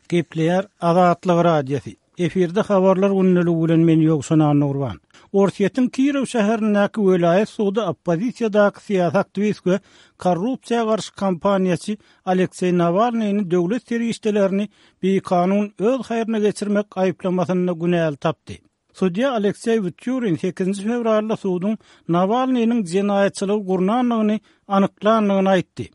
Gepleýär Azatlyk Radiosy. Efirde habarlar gündeligi bilen men Ýowşan Annagurban. Orsýetiň Kirow şäherindäki welaýat sudy oppozisiýadaky syýasy aktiwist we korrupsiýa garşy kampaniýaçy Alekseý Nawalnyny döwlet serişdelerini bikanun öz haýryna geçirmek aýyplamasynda günäli tapdy. Sudýa Alekseý Wtýurin sekizinji fewralda suduň Nawalnynyň jenaýatçylygy gurnandygyny anyklandygyny aýtdy.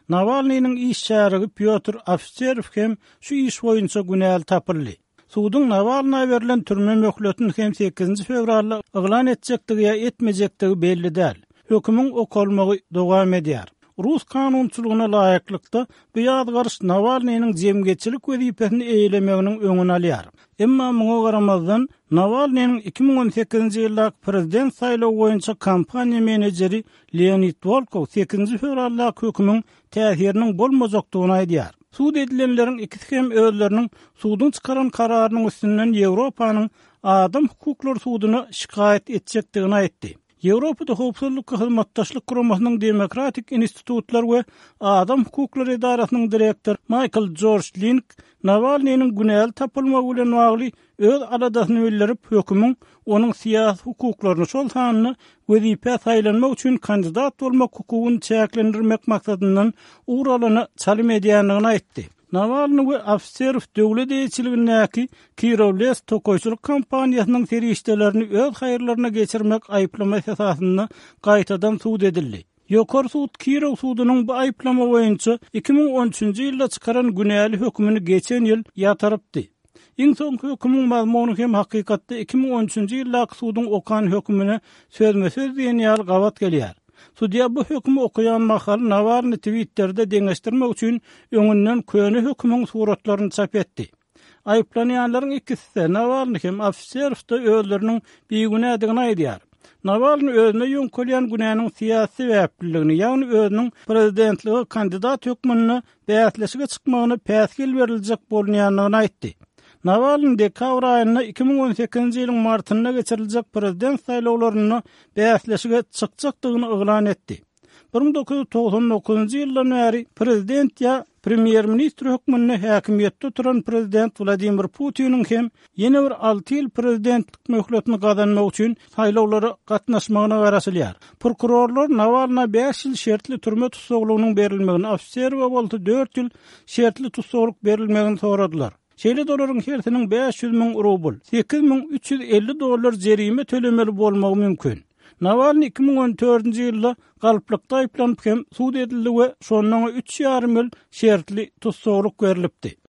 Nawalnynyň iş şärigi Pýotr Ofiserow hem şu iş boýunça günäli tapyldy. Suduň Nawalna berlen türme möhletini hem sekizinji fewralda yglan etjekdigi ýa etmejekdigi belli däl. Hökümiň okalmagy dowam edýär. Rus kanunçylygyna laýyklykda, bu ýazgaryş Nawalnynyň jemgyýetçilik wezipesini eýelemeginiň öňüni alýar. Emma muňa garamazdan, Nawalnynyň 2018-nji ýyldaky prezident saýlawy boýunça kampaniýa menejeri Leonid Wolkow sekizinji fewraldaky hökümiň täsiriniň bolmajakdygyny aýdýar. Sud edilenleriň ikisi hem özleriniň suduň çykaran kararynyň üstünden Ýewropanyň Adam hukuklary suduna şikaýat etjekdigini aýtdy. Ýewropada Howpsuzlyk we Hyzmatdaşlyk Guramasynyň Demokratik institutlar we adam hukuklary edarasynyň direktory Maýkl Jorj Link Nawalnynyň günäli tapylmagy bilen bagly öz aladasyny bildirip, hökümiň onuň syýasy hukuklaryny, şol sanda wezipä saýlanmak üçin kandidat bolmak hukugyny çäklendirmek maksadyndan ugur alana çalym edýändigini aýtdy. Nawalny we Ofiserow döwlet eýeçiligindäki Kirowles tokaýçylyk kompaniýasynyň serişdelerini öz haýyrlaryna geçirmek aýyplamasy esasynda gaýtadan sud edildi. Ýokary sud Kirow sudunyň bu aýyplama boýunça 2013-nji ýylda çykaran günäli hökümini geçen ýyl ýatyrypdy. Iň soňky hökümiň mazmuny hem hakykatda 2013-nji ýyldaky suduň okan hökümine sözme-söz diýen ýaly gabat gelýär. Sudýa bu hökümi okaýan mahaly Nawalny Twitterde deňeşdirmek üçin öňünden köne hökümiň suratlaryny çap etdi. Aýyplanýanlaryň ikisi-de, Nawalny hem, Ofiserow-da özleriniň bigünädigini aýdýar. Nawalny özüne ýöňkelýän günäniň syýasy sebäpliligini, ýagny özüniň prezidentlige kandidat hökmünde bäsleşige çykmagyna päsgel beriljek bolunýandygyny aýtdy. Nawalny dekabr aýynda 2018-nji ýylyň martynda geçiriljek prezident saýlawlarynda bäsleşige çykjakdygyny yglan etdi. 1999-njy ýyldan bäri prezident ýa premýer-ministr hökmünde häkimiýetde oturan prezident Wladimir Putiniň hem ýene bir alty ýyl prezidentlik möhletini gazanmak üçin saýlawlara gatnaşmagyna garaşylýar. Prokurorlar Nawalna bäş ýyl şertli türme tussaglygynyň berilmegini, Ofiserowa bolsa dört ýyl şertli tussaglyk berilmegini soradylar. Şeýle-de olaryň hersiniň 500 müň rubl, 8350 dollar jerime tölemeli bolmagy mümkin. Nawalnyý 2014-nji ýylda galplykda aýyplanyp hem sud edildi we şonda oňa üç ýarym ýyl şertli tussaglyk berlipdi.